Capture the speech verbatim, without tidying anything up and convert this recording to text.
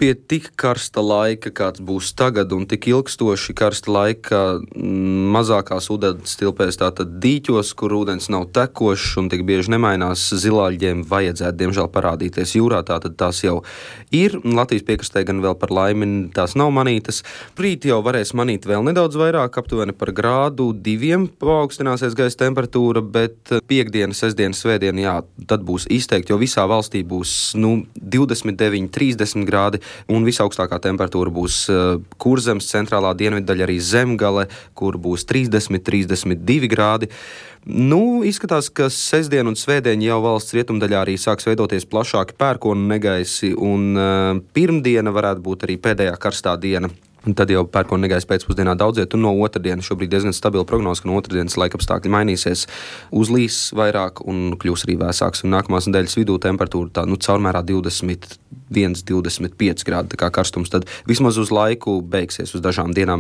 pie tik karsta laika, kāds būs tagad, un tik ilgstoši karsta laika mazākās ūdens tilpēs, tātad dīķos, kur ūdens nav tekošs un tik bieži nemainās, zilāļģiem vajadzētu, diemžēl, parādīties jūrā, tātad tās jau ir. Latvijas piekrastē gan vēl par laimi tās nav manītas. Rīt jau varēs manīt vēl nedaudz vairāk, aptuveni par grādu diviem paaugstināsies gaisa temperatūra, bet piekdiena, sestdiena, svētdiena, jā, tad būs izteikti, jo visā valstī būs, nu, divdesmit deviņi, trīsdesmit grādi, un visaugstākā temperatūra būs Kurzemes centrālā dienviddaļa, arī Zemgale, kur būs trīsdesmit, trīsdesmit divi grādi. Nu, izskatās, ka sestdien un svētdien jau valsts rietumdaļā arī sāks veidoties plašāki pērkonu negaisi, un uh, pirmdiena varētu būt arī pēdējā karstā diena. Un tad jau pērkona negaisa pēcpusdienā daudziet, un no otrdienas šobrīd diezgan stabila prognoze, ka no otrdienas laikapstākļi mainīsies, uzlīs vairāk un kļūs arī vēsāks. Un nākamās nedēļas vidū temperatūra tā, nu, caurmērā divdesmit viens, divdesmit pieci grādi, tā kā karstums tad vismaz uz laiku beigsies uz dažām dienām.